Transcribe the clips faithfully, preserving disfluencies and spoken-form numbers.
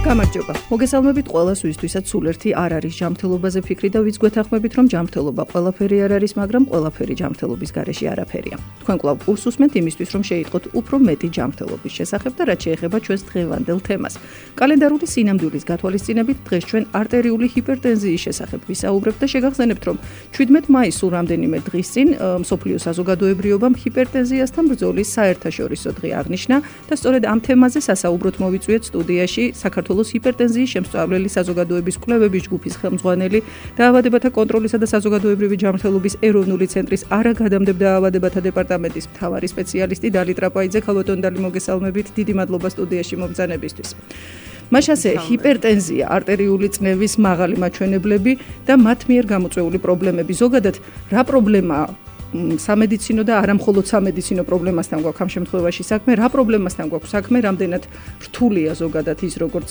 გამარჯობა. მოგესალმებით ყველას, ვისთვისაც სულ ერთი არ არის ჯანმრთელობაზე ფიქრი და ვიც გვეთანხმებით, რომ ჯანმრთელობა ყველაფერი არ არის, მაგრამ ყველაფერი ჯანმრთელობის გარეშე არაფერია. თქვენ კვლავ კურსს უსმენთ იმისთვის, რომ შეიტყოთ უფრო მეტი ჯანმრთელობის შესახებ და რაც შეეხება ჩვენს დღევანდელ თემას. კალენდარული სინამდვილის გათვალისწინებით დღეს ჩვენ არტერიული ჰიპერტენზიის შესახებ ვისაუბრებთ და შეგახსენებთ, რომ შვიდმეტ მაისს სულ რამდენიმე დღის წინ მსოფლიო საზოგადოებრივობამ ჰიპერტენზიასთან ბრძოლის საერთაშორისო დღე აღნიშნა და სწორედ ამ თემაზე სასაუბროდ მოვიწვიეთ სტუდიაში საქართველოს ჰიპერტენზიის შემსწავლელი საზოგადოების კვლევების ჯგუფის ხელმძღვანელი, დაავადებათა კონტროლისა და საზოგადოებრივი ჯანმრთელობის ეროვნული ცენტრის არაგადამდებდა დაავადებათა დეპარტამენტის მთავარი სპეციალისტი დალი ტრაპაიძე. ქალბატონ დალი, მოგესალმებით. დიდი მადლობა სტუდიაში მომბრძანებისთვის. მაშასე ჰიპერტენზია, არტერიული წნევის მაღალი მაჩვენებლები და მათ მიერ გამოწვეული პრობლემები. ზოგადად რა პრობლემაა? სამედიცინო და არა მხოლოდ სამედიცინო პრობლემასთან გვაქვს ამ შემთხვევაში საქმე, რა პრობლემასთან გვაქვს საქმე, რამდენად რთულია ზოგადად ის როგორც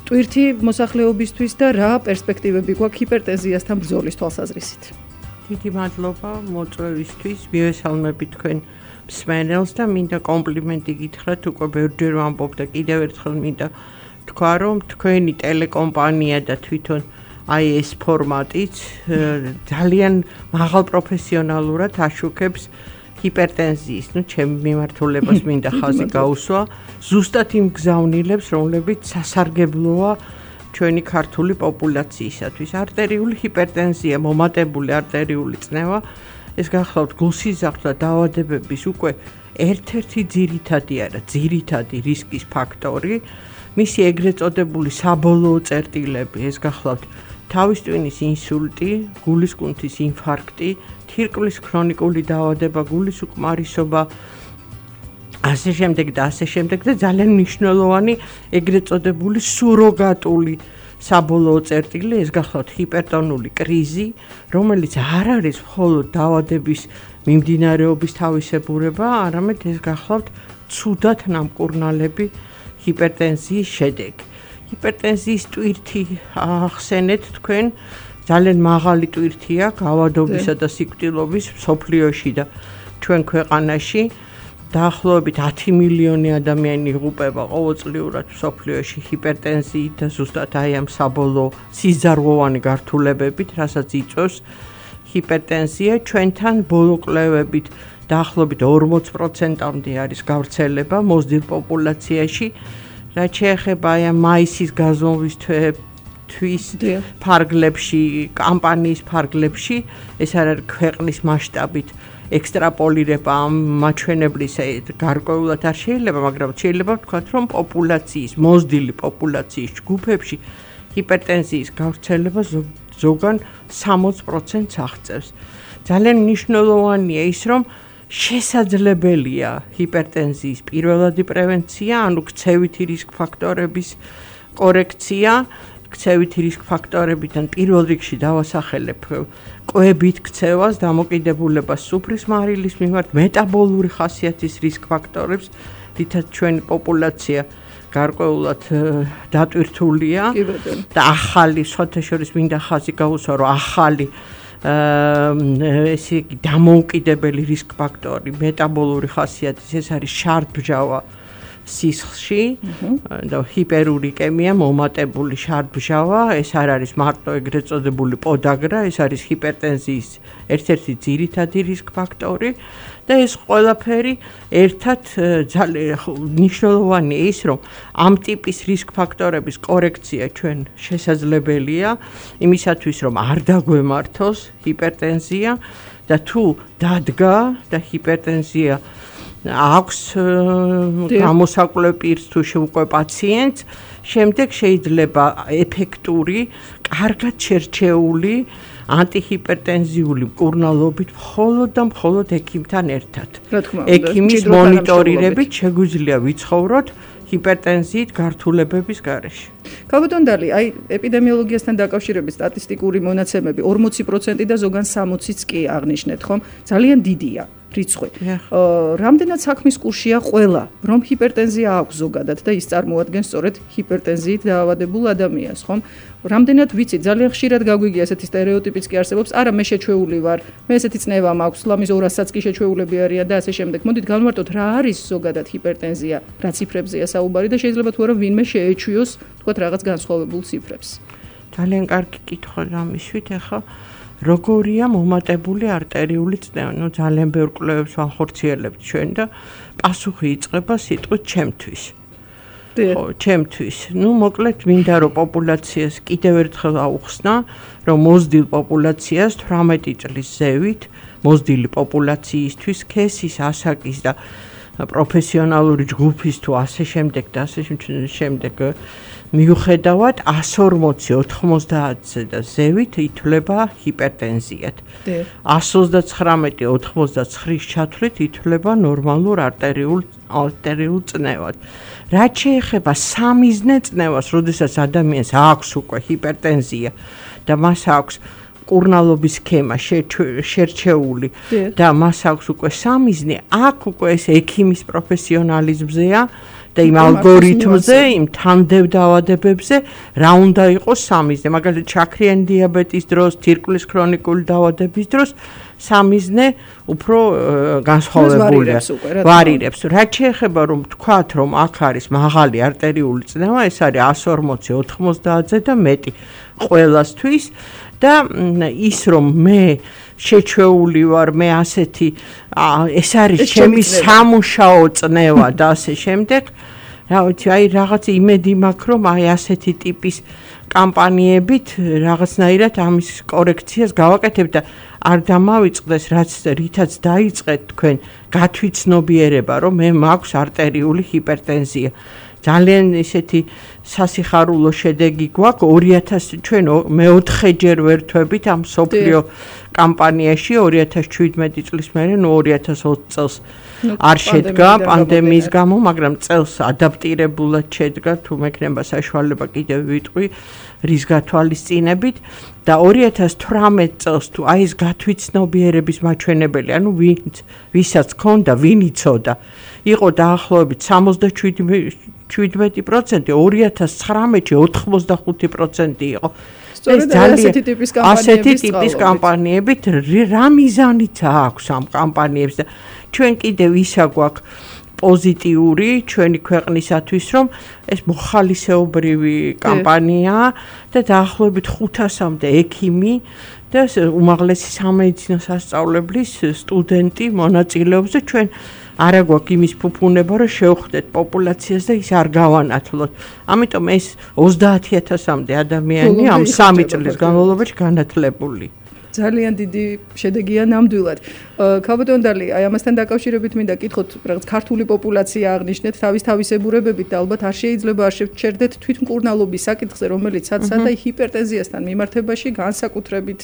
ტვირთი მოსახლეობისთვის და რა პერსპექტივები გვაქვს ჰიპერტენზიასთან ბრძოლის თვალსაზრისით. დიდი მადლობა მოწვევისთვის, მივესალმებით თქვენ მსმენელს და მინდა კომპლიმენტი გითხრათ, უკვე ბევრჯერ ვამბობ და კიდევ ერთხელ მინდა თქვა, რომ თქვენი ტელეკომპანია და თვითონ აი ეს ფორმატიც ძალიან მაღალ პროფესიონალურად აშუქებს ჰიპერტენზიის, ну, ჩემი მიმართულებას მინდა ხაზი გაუსვა, ზუსტად იმ გზავნილებს, რომლებიც სასარგებლოა ჩვენი ქართული პოპულაციისათვის. არტერიული ჰიპერტენზია, მომატებული არტერიული წნევა, ეს გახლავთ გულსიზრდე და დაავადებების უკვე ერთ-ერთი ძირითადი არა, ძირითადი რისკის ფაქტორი, მისი ეგრეთ წოდებული საბოლოო წერტილები, ეს გახლავთ თავის ტვინის ინსულტი, გულის კუნთის ინფარქტი, თირკმლის ქრონიკული დაავადება, გულის უკმარისობა, ასე შემდეგ და ასე შემდეგ და ძალიან მნიშვნელოვანი ეგრეთ წოდებული სუროგატული საბოლოო წერტილი, ეს გახლავთ ჰიპერტონული კრიზი, რომელიც არ არის მხოლოდ დაავადების მიმდინარეობის თავისებურება, არამედ ეს გახლავთ ცუდად ნამკურნალები ჰიპერტენზიის შედეგი. ჰიპერტენზიის ტვირთი ახსენეთ თქვენ, ძალიან მაღალი ტვირთია გავადობისა და სიკვდილობის მსოფლიოში და ჩვენ ქვეყანაში დაახლოებით ათი მილიონი ადამიანი იღუპება ყოველწლიურად მსოფლიოში ჰიპერტენზიით და ზუსტად აი ამ საბოლოო სიზარღვოვანი გართულებებით, რასაც იწვევს ჰიპერტენზია. ჩვენთან ბოლო კვლევებით დაახლოებით ორმოც პროცენტამდე არის გავრცელება მოზრდილ პოპულაციაში. რაც შეეხება აი ამ მაისის გაზომვის თვის ფარგლებში, კამპანიის ფარგლებში, ეს არ არის ქვეყნის მასშტაბით ექსტრაპოლირება ამ მაჩვენებლის გარკვეულად არ შეიძლება, მაგრამ შეიძლება ვთქვათ, რომ პოპულაციის, მოზრდილი პოპულაციის ჯგუფებში ჰიპერტენზიის გავრცელება ზოგან სამოც პროცენტს აღწევს. ძალიან მნიშვნელოვანია ის, რომ შესაძლებელია ჰიპერტენზიის პირველადი პრევენცია, ანუ ქცევითი რისკ ფაქტორების კორექცია, ქცევითი რისკ ფაქტორებიდან პირველ რიგში დავასახელებ კვებით ქცევას, დამოკიდებულებას სუფრის მარილის მიმართ, მეტაბოლური ხასიათის რისკ ფაქტორებს, რითაც ჩვენი პოპულაცია გარკვეულად დატვირთულია და ახალი, სხვათა შორის მინდა ხაზი გაუსვა, რომ ახალი ესე იგი დამოუკიდებელი რისკ ფაქტორი მეტაბოლური ხასიათის, ეს არის შარდბჟავა სისხლში და ჰიპერურიკემია, მომატებული შარდბჟავა, ეს არ არის მარტო ეგრეთ წოდებული პოდაგრა, ეს არის ჰიპერტენზიის ერთ-ერთი ძირითადი რისკ ფაქტორი და ეს ყველაფერი ერთად ძალიან მნიშვნელოვანია ის, რომ ამ ტიპის რისკ ფაქტორების კორექცია ჩვენ შესაძლებელია იმისათვის, რომ არ დაგვემართოს ჰიპერტენზია და თუ დადგა და ჰიპერტენზია აქვს გამოსაკვლევ პირს თუ უკვე პაციენტს, შემდეგ შეიძლება ეფექტური, კარგად შერჩეული ანტიჰიპერტენზიული მკურნალობით მხოლოდ და მხოლოდ ექიმთან ერთად. ექიმის მონიტორირებით შეგვიძლია ვიცხოვროთ ჰიპერტენზიით გართულებების გარეშე. ქალბატონ დალი, აი ეპიდემიოლოგიასთან დაკავშირებით სტატისტიკური მონაცემები ორმოცი პროცენტი და ზოგან სამოციც კი აღნიშნეთ, ხომ? ძალიან დიდია. რიცხვი. რამდენად საქმის კურსია ყველა, რომ ჰიპერტენზია აქვს ზოგადად და ის წარმოადგენს სწორედ ჰიპერტენზიით დაავადებულ ადამიანს, ხომ? რამდენად ვიცი, ძალიან ხშირად გაგვიგია ესეთი სტერეოტიპიც კი არსებობს, არა მე შეჩვეული ვარ, მე ესეთი წნევა მაქვს, ლამის ორასაც კი შეჩვეულები არიან და ასე შემდეგ. მოდით განვარტოთ რა არის ზოგადად ჰიპერტენზია, რა ციფრებზეა საუბარი და შეიძლება თუ არა ვინმე შეეჩვიოს, თქვა ვთქვათ, რაღაც განსხვავებულ ციფრებს. ძალიან კარგი კითხვა ამისვით, ახლა როგორია მომატებული არტერიული წნევა? ნუ ძალიან ბევრ კვლევებს ვახორციელებთ ჩვენ და პასუხი იწყება სიტყვით ჩემთვის. ხო, ჩემთვის. ნუ მოკლედ მინდა რომ პოპულაციას კიდევ ერთხელ აუხსნა, რომ მოზრდილ პოპულაციას თვრამეტი წლის ზევით, მოზრდილი პოპულაციისთვის ქესის, ასაკის და პროფესიონალური ჯგუფის თუ ასე შემდეგ და ასე შემდეგ მიუხედავად εκατს ორმოცი ოთხმოცდაათზე და ზევით ითვლება ჰიპერტენზიად. εκατს ოცდაცხრამეტი ოთხმოცდაცხრის ჩათვლით ითვლება ნორმალურ არტერიულ არტერიულ წნევად. რაც შეეხება სამიზნე წნევას, როდესაც ადამიანს აქვს უკვე ჰიპერტენზია და მას აქვს კურნალობის სქემა შერჩეული და მას აქვს უკვე სამიზნე, აქ უკვე ეს ექიმის პროფესიონალიზმზეა და იმ ალგორითმზე, იმ თანდებდავადებებზე რა უნდა იყოს სამიზნე. მაგალითად, შაქრიანი დიაბეტის დროს, თირკმლის ქრონიკული დაავადების დროს სამიზნე უფრო განსხვავებულია. ვარირებს. რაც შეეხება რომ თქვათ, რომ აქ არის მაღალი არტერიული წნევა, ეს არის εκατს ორმოცი ოთხმოცდაათზე და მეტი ყველასთვის და ის რომ მე შეჩვეული ვარ, მე ასეთი ეს არის ჩემი სამუშაო წნევა და ასე შემდეგ. რა ვიცი, აი რაღაც იმედი მაქვს, რომ აი ასეთი ტიპის კამპანიებით რაღაცნაირად ამის კორექციას გავაკეთებ და არ დამავიწყდეს, რაც რითაც დაიწყეთ თქვენ გათვითცნობიერება, რომ მე მაქვს არტერიული ჰიპერტენზია. ძალიან ისეთი სასიხარულო შედეგი გვაქვს ორი ათასი ჩვენ მეოთხეჯერ ვერთვებით ამ სოფლიო კამპანიაში ორი ათას შვიდმეტი წლის მერე, ნუ ორი ათას ოცი წელს არ შედგა პანდემიის გამო, მაგრამ წელს ადაპტირებულად შედგა, თუ მექნება საშუალება კიდევ ვიტყვი რის გათვალისწინებით და ორი ათას თვრამეტ წელს თუ აი ეს გათვითცნობიერების მაჩვენებელი, ანუ ვინც ვისაც ჰქონდა, ვინ იცოდა, იყო დაახლოებით სამოცდაშვიდმეტი პროცენტი, ორი ათას ცხრამეტში ოთხმოცდახუთი პროცენტი იყო. სწორედ ასეთი ტიპის კამპანიების ასეთი ტიპის კამპანიებით რა მიზანიც აქვს ამ კამპანიებს და ჩვენ კიდევ ისა გვაქვს პოზიტიური ჩვენი ქვეყნისათვის, რომ ეს მოხალისეობრივი კამპანიაა და დაახლოებით ხუთასამდე ექიმი და უმაღლესი სამედიცინო სასწავლებლის სტუდენტი მონაწილეობს და ჩვენ არა გვაქვს იმის ფუფუნება, რომ შევხვდეთ პოპულაციას და ის არ გავანათლოთ. ამიტომ ეს ოცდაათი ათასამდე ადამიანი ამ სამი წლის განმავლობაში განათლებული. ძალიან დიდი შედეგია ნამდვილად. ქალბატონდალი, აი ამასთან დაკავშირებით მინდა კითხოთ, რაღაც ქართული პოპულაცია აღნიშნეთ თავის თავისებურებებით და ალბათ არ შეიძლება არ შევჩერდეთ თვითმკურნალობის საკითხზე, რომელიც სათსადა ჰიპერტენზიასთან მიმართებაში განსაკუთრებით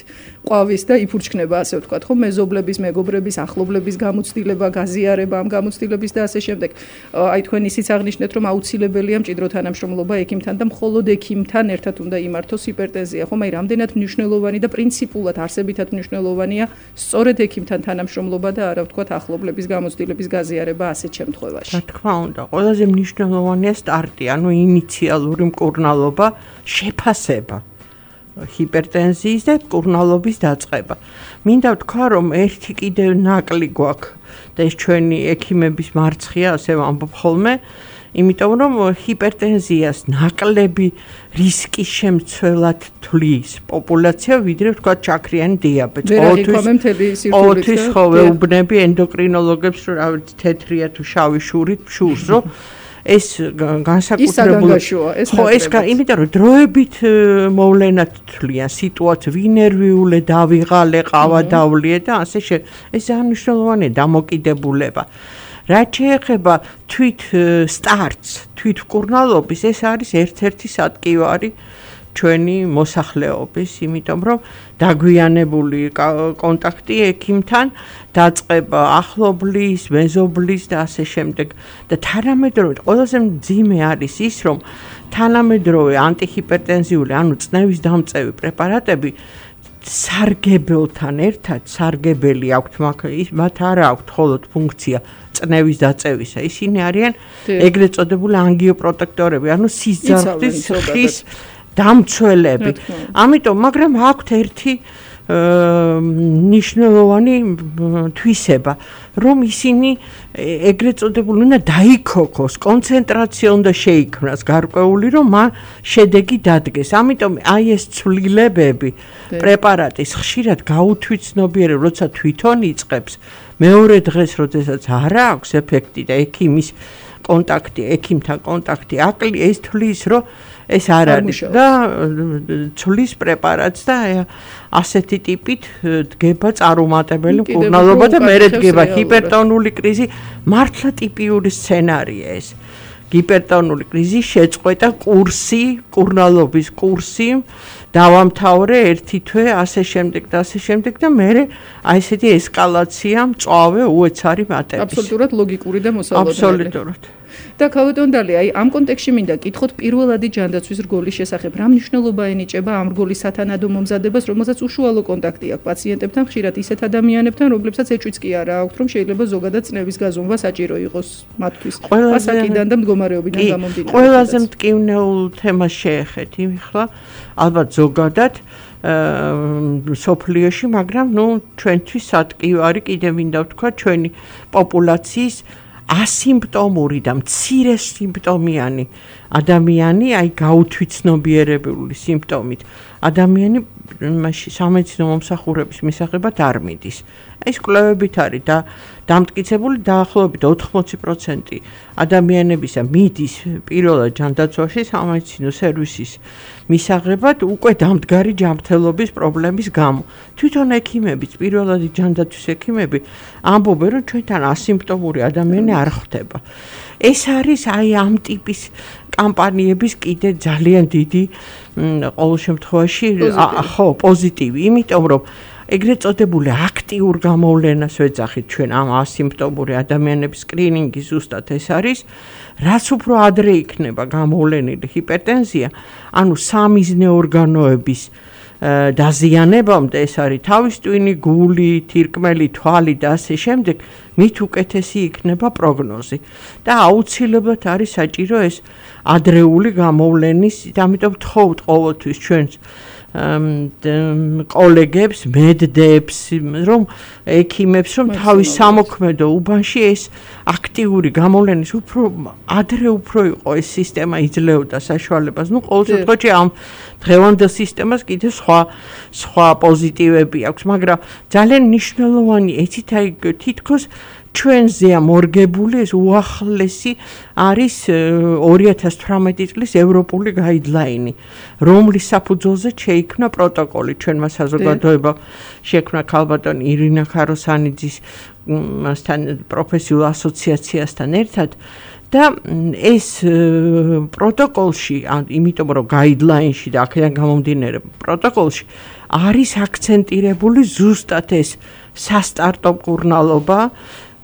ყვავის და იფურჩქნება, ასე ვთქვათ, ხო, მეზობლების, მეგობრების, ახლობლების გამოცდილება, გაზიარება ამ გამოცდილების და ასე შემდეგ. აი თქვენ ისიც აღნიშნეთ, რომ აუცილებელია მჭიდრო თანამშრომლობა ექიმთან და მხოლოდ ექიმთან ერთად უნდა იმართოს ჰიპერტენზია, ხო, აი რამდენად მნიშვნელოვანი და პრინციპულად არსებითად მნიშვნელოვანია სწორედ ექიმთან თანამშრომლობა და არა ვთქვათ ახლობლების გამოცდილების გაზიარება ასეთ შემთხვევაში. რა თქმა უნდა, ყველაზე მნიშვნელოვანია სტარტი, ანუ ინიციალური მკურნალობა, შეფასება ჰიპერტენზიის და მკურნალობის დაწყება. მინდა ვთქვა, რომ ერთი კიდევ ნაკლი გვაქვს და ეს ჩვენი ექიმების მარცხია, ასე ვამბობ ხოლმე, იმიტომ რომ ჰიპერტენზიას ნაკლები რისკის შემცველად თვლის პოპულაცია, ვიდრე ვთქვათ შაქრიანი დიაბეტი. ყოველთვის ხო ვეუბნები ენდოკრინოლოგებს, რომ რა ვიცი, თეთრია თუ შავი შურით შურს, რომ ეს განსაკუთრებული ხო ეს იმიტომ რომ დროებით მოვლენად თვლიან სიტუაციას, ვინერვიულე დავიღალე, ყავა დავლიე და ასე შე ეს მნიშვნელოვანია დამოკიდებულება. რაც შეეხება თვით სტარტს, თვით მკურნალობის, ეს არის ერთ-ერთი სატკივარი ჩვენი მოსახლეობის, იმიტომ რომ დაგვიანებული კონტაქტი ექიმთან, დაწყება ახლობლის, მეზობლის და ასე შემდეგ და თანამედროვე ყველაზე მძიმე არის ის, რომ თანამედროვე ანტიჰიპერტენზიული, ანუ წნევის დამწევი პრეპარატები სარგებელთან ერთად, სარგებელი აქვთ, მათ არ აქვთ მხოლოდ ფუნქცია წნევის დაწევისა. ისინი არიან ეგრეთ წოდებული ანგიოპროტექტორები, ანუ სისძარღვთის ხის დამცველები. ამიტომ, მაგრამ აქვთ ერთი მნიშვნელოვანი თვისება, რომ ისინი ეგრეთ წოდებული უნდა დაიქოქოს, კონცენტრაცია უნდა შეიქმნას გარკვეული, რომ მან შედეგი დადგეს. ამიტომ აი ეს ცვლილებები პრეპარატის ხშირად გაუთვითცნობიერებ, როცა თვითონ იწყებს, მეორე დღეს, როდესაც არ აქვს ეფექტი და ექიმის კონტაქტი, ექიმთან კონტაქტი აკლი, ეს თვლის, რომ ეს არ არის და ცვლის პრეპარატს და ასეთი ტიპით დგება წარუმატებელი მკურნალობა და მერე დგება ჰიპერტონული კრიზი, მართლა ტიპიური სცენარია ეს. ჰიპერტონული კრიზი შეწყვეტა კურსი, მკურნალობის კურსი, დავამთავრე ერთი თვე, ასე შემდეგ და ასე შემდეგ და მერე აი ესეთი ესკალაცია მწვავე უეცარი მატების. აბსოლუტურად ლოგიკური და მოსალოდნელი. აბსოლუტურად. და ქალბატონდალი, აი ამ კონტექსში მინდა კითხოთ პირველადი ჯანდაცვის რგოლის შესახებ. რა მნიშვნელობა ენიჭება ამ რგოლის სათანადო მომზადებას, რომელსაც უშუალო კონტაქტი აქვს პაციენტებთან, ხშირად ისეთ ადამიანებთან, რომლებსაც ეჭვიც კი არა აქვთ, რომ შეიძლება ზოგადად წნევის გაზომვა საჭირო იყოს მათთვის. ასაკიდან და მდგომარეობიდან გამომდინარე. ყველაზე მტკივნეულ თემას შეეხეთ იმხლა, ალბათ ზოგადად სოფლიოში, მაგრამ ნუ ჩვენთვის სატკივარი კიდე მინდა ვთქვა ჩვენი პოპულაციის ასიმპტომური და მცირე სიმპტომიანი ადამიანი, აი გაუთვითცნობიერებული სიმპტომით ადამიანი მასში სამედიცინო მომსახურების მისაღებად არ მიდის. ეს კვლევებით არის და დამტკიცებული დაახლოებით ოთხმოცი პროცენტი ადამიანებისა მიდის პირველად ჯანდაცვაში სამედიცინო სერვისის მისაღებად უკვე დამდგარი ჯანმრთელობის პრობლემის გამო. თვითონ ექიმებიც, პირველადი ჯანდაცვის ექიმები ამბობენ, რომ ჩვენთან ასიმპტომური ადამიანი არ ხვდება. ეს არის აი ამ ტიპის კამპანიების კიდე ძალიან დიდი ყოველ შემთხვევაში ხო პოზიტივი, იმიტომ რომ ეგრეთ წოდებული აქტიურ გამოვლენას ვეძახით ჩვენ ამ ასიმპტომური ადამიანების სკრინინგი ზუსტად ეს არის, რაც უფრო ადრე იქნება გამოვლენილი ჰიპერტენზია, ანუ სამიზნე ორგანოების დაზიანებამდე, ეს არის თავის ტვინი, გული, თირკმელი, თვალი და ასე შემდეგ, მით უკეთესი იქნება პროგნოზი და აუცილებლად არის საჭირო ეს ადრეული გამოვლენის, ამიტომ ვთხოვთ ყოველთვის ჩვენს კოლეგებს, მედდებს, რომ ექიმებს, რომ თავის სამოქმედო უბანში ეს აქტიური გამოვლენის უფრო ადრე უფრო იყო ეს სისტემა იძლეოდა საშუალებას. ნუ ყოველ შემთხვევაში ამ დღევანდელ სისტემას კიდევ სხვა სხვა პოზიტივები აქვს, მაგრამ ძალიან მნიშვნელოვანი ეცით აი თითქოს ჩვენზეა მორგებული ეს უახლესი არის ორი ათას თვრამეტი წლის ევროპული გაიდლაინი, რომლის საფუძველზე შეიქმნა პროტოკოლი ჩვენმა საზოგადოებამ შექმნა ქალბატონი ირინა ქაროსანიძის მასთან პროფესიულ ასოციაციასთან ერთად და ეს პროტოკოლში, იმიტომ რომ გაიდლაინში და აქედან გამომდინარე პროტოკოლში არის აქცენტირებული ზუსტად ეს სასტარტო მკურნალობა,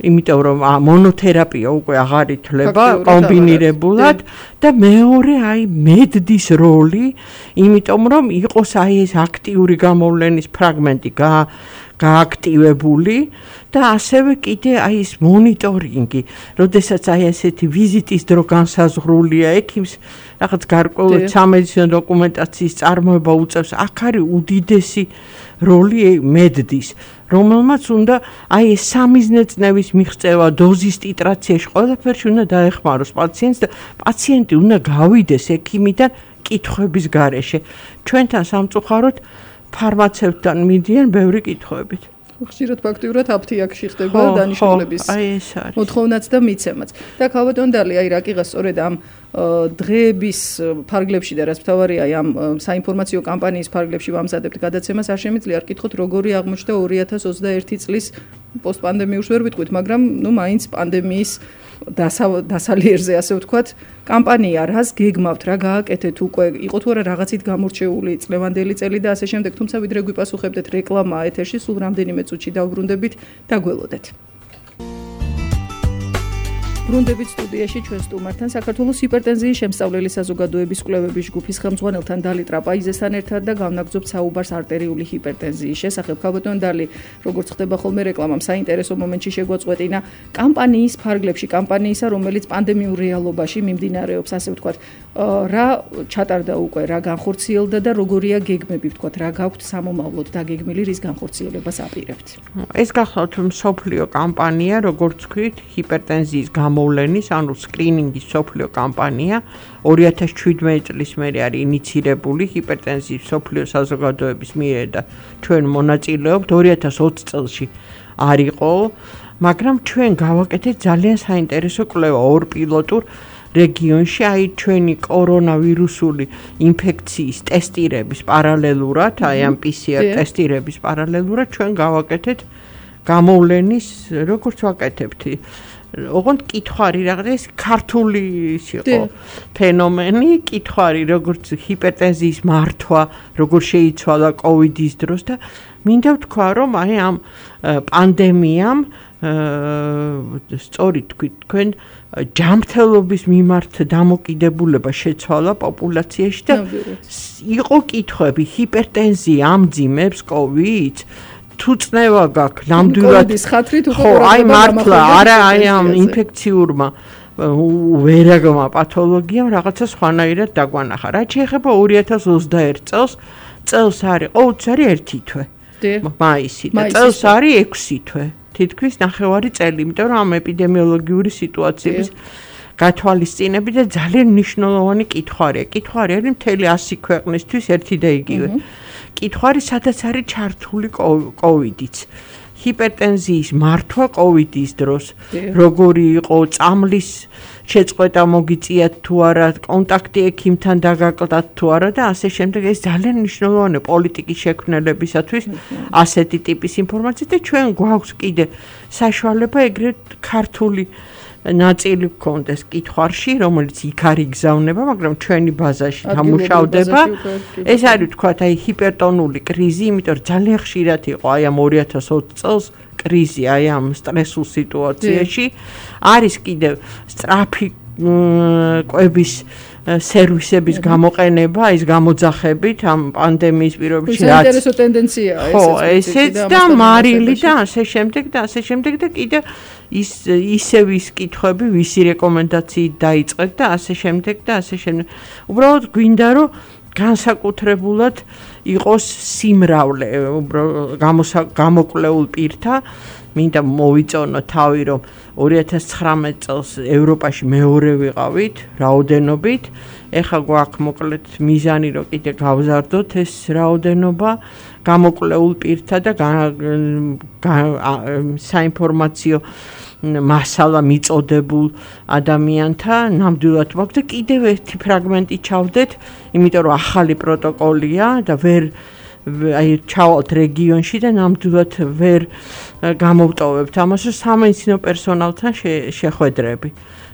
იმიტომ რომ მონოთერაპია უკვე აღარ ითვლება კომბინირებულად და მეორე აი მედდის როლი, იმიტომ რომ იყოს აი ეს აქტიური გამოვლენის ფრაგმენტი გააქტივებული და ასევე კიდე აი ეს მონიტორინგი, როდესაც აი ესეთი ვიზიტის დრო განსაზღვრულია ექიმს, რაღაც გარკვეული სამედიცინო დოკუმენტაციის წარმოება უწევს, აქ არის უდიდესი როლი მედდის, რომელმაც უნდა აი ეს სამიზნე წნევის მიღწევა, დოზის ტიტრაციაში ყველაფერში უნდა დაეხმაროს პაციენტს და პაციენტი უნდა გავიდეს ექიმიდან კითხვების გარეშე. ჩვენთან სამწუხაროდ ფარმაცევტთან მიდიან ბევრი კითხვებით. ხშირად ფაქტიურად აფთიაქში ხდება დანიშნულების მოთხოვნაც და მიცემაც. და ქალბატონდალი, აი რაკიღა სწორედ ამ დღეების ფარგლებში და რაც მთავარია ამ საინფორმაციო კამპანიის ფარგლებში ვამზადებთ გადაცემას, არ შემიძლია არ კითხოთ როგორი აღმოჩნდა ორი ათას ოცდაერთი წლის პოსტპანდემიურს ვერ ვიტყვით, მაგრამ ნუ მაინც პანდემიის დასალიერზე ასე ვთქვათ, კამპანია რას გეგმავთ, რა გააკეთეთ უკვე, იყო თუ არა რაღაცით გამორჩეული წლევანდელი წელი და ასე შემდეგ, თუმცა ვიდრე გვიპასუხებდეთ რეკლამა ეთერში, სულ რამდენიმე წუთში დავბრუნდებით და გველოდეთ. ბრუნდებით სტუდიაში ჩვენ სტუმართან საქართველოს ჰიპერტენზიის შემსწავლელი საზოგადოების კვლევების ჯგუფის ხელმძღვანელთან დალი ტრაპაიზესთან ერთად და განვაგრძობთ საუბარს არტერიული ჰიპერტენზიის შესახებ. ქალბატონ დალი, როგორც ხდება ხოლმე რეკლამამ, საინტერესო მომენტში შეგვაწყვეტინა კამპანიის ფარგლებში, კამპანიისა, რომელიც პანდემიურ რეალობაში მიმდინარეობს, ასე ვთქვათ, რა ჩატარდა უკვე, რა განხორციელდა და როგორია გეგმები, ვთქვათ, რა გაქვთ სამომავლოდ დაგეგმილი, რის განხორციელებას აპირებთ. ეს გახლავთ მსოფლიო კამპანია, როგორც ვთქვით, ჰიპერტენზიის გამოვლენის, ანუ სკრინინგის მსოფლიო კამპანია ორი ათას შვიდმეტი წლის მერე არის ინიცირებული ჰიპერტენზიის მსოფლიო საზოგადოების მიერ და ჩვენ მონაწილეობთ ორი ათას ოცი წელში არ იყო, მაგრამ ჩვენ გავაკეთეთ ძალიან საინტერესო კვლევა ორ პილოტურ რეგიონში, აი ჩვენი კორონავირუსული ინფექციის ტესტირების პარალელურად, აი ამ პი სი არ ტესტირების პარალელურად ჩვენ გავაკეთეთ გამოვლენის, როგორც ვაკეთებთ ოღონდ კითხვარი რაღაცა ეს ქართული იყო ფენომენი, კითხვარი როგორც ჰიპერტენზიის მართვა, როგორ შეიცვალა კოვიდის დროს და მინდა ვთქვა, რომ აი ამ პანდემიამ სწორედ თქვით, თქვენ ჯანმრთელობის მიმართ დამოკიდებულება შეცვალა პოპულაციაში და იყო კითხვები, ჰიპერტენზია ამძიმებს კოვიდს? თუ წნევა გაქვს ნამდვილად ხო აი მართლა არა აი ამ ინფექციურმა ვერაგმა პათოლოგიამ რაღაცა სხვანაირად დაგვანახა. რაც შეეხება ორი ათას ოცდაერთ წელს, წელს არის ყოველთვის არის ერთი თვე მაისი და წელს არის ექვსი თვე, თითქმის ნახევარი წელი, იმიტომ რომ ამ ეპიდემიოლოგიური სიტუაციების გათვალისწინებით და ძალიან მნიშვნელოვანი კითხვარია. კითხვარი არის მთელი ასი ქვეყნისთვის ერთი და იგივე. კითხვარი სადაც არის ჩართული კოვიდიც. ჰიპერტენზიის მართვა კოვიდის დროს, როგორი იყო წამლის შეწყვეტა მოგიწიათ თუ არა, კონტაქტი ექიმთან დაგაკლდათ თუ არა და ასე შემდეგ. ეს ძალიან მნიშვნელოვანია პოლიტიკის შექმნელებისათვის ასეთი ტიპის ინფორმაცია და ჩვენ გვაქვს კიდე საშუალება ეგრეთ ქართული ნაწილი გქონდეს კითხვარში, რომელიც იქ არ იგზავნება, მაგრამ ჩვენი ბაზაში დამუშავდება. ეს არის თქვათ აი ჰიპერტონული კრიზი, იმიტომ რომ ძალიან ხშირად იყო აი ამ ორი ათას ოცი წელს კრიზი აი ამ სტრესულ სიტუაციაში. არის კიდევ სწრაფი კვების სერვისების გამოყენება, ის გამოძახებით ამ პანდემიის პირობებში რაც საინტერესო ტენდენციაა ეს. ხო, ესეც და მარილი და ასე შემდეგ და ასე შემდეგ და კიდევ ის ისევ ის კითხვები, ვისი რეკომენდაციით დაიწყეთ და ასე შემდეგ და ასე შემდეგ. უბრალოდ გვინდა რომ განსაკუთრებულად იყოს სიმრავლე გამოკვლეულ პირთა, მინდა მოვიწონო თავი, რომ ორი ათას ცხრამეტ წელს ევროპაში მეორე ვიყავით რაოდენობით, ეხლა გვაქვს მოკლედ მიზანი, რომ კიდე გავზარდოთ ეს რაოდენობა გამოკვლეულ პირთა და საინფორმაციო მასალა მიწოდებულ ადამიანთა ნამდვილად ვაქვს და კიდევ ერთი ფრაგმენტი ჩავდეთ, იმიტომ რომ ახალი პროტოკოლია და ვერ აი ჩავალთ რეგიონში და ნამდვილად ვერ გამოვტოვებთ ამას, რომ სამედიცინო პერსონალთან შეხვედრები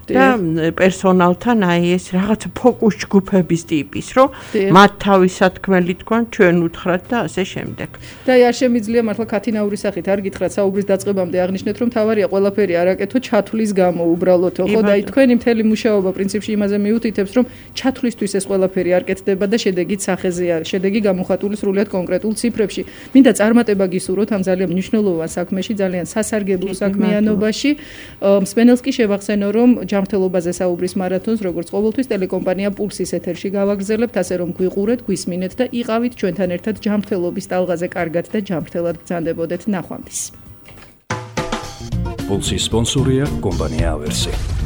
და პერსონალთან აი ეს რაღაცა ფოკუს ჯგუფების ტიპის, რომ მათ თავის სათქმელი თქვან, ჩვენ უთხრათ და ასე შემდეგ. და აი არ შემიძლია მართლა ქათინაურის სახით არ გითხრათ საუბრის დაწყებამდე აღნიშნეთ, რომ თავარია ყველაფერი არაკეთო ჩათვლის გამო უბრალოდო, ხო და აი თქვენი მთელი მუშაობა პრინციპში იმაზე მიუთითებს, რომ ჩათვლისთვის ეს ყველაფერი არ კეთდება და შედეგით სახეზე არის, შედეგი გამოხატული სრულიად კონკრეტულ ციფრებში. მინდა წარმატება გისურვოთ ამ ძალიან მნიშვნელოვან საქმეში, ძალიან სასარგებლო საქმიანობაში. მსმენელს კი შევახსენო, რომ ჯანმრთელობაზე საუბრის მარათონს, როგორც ყოველთვის ტელეკომპანია პულსის ეთერში გავაგრძელებთ, ასე რომ გვიყურეთ, გვისმინეთ და იყავით ჩვენთან ერთად ჯანმრთელობის ტალღაზე კარგად და ჯანმრთელად გრძანდებოდეთ. ნახვამდის. პულსის სპონსორია კომპანია ავერსი.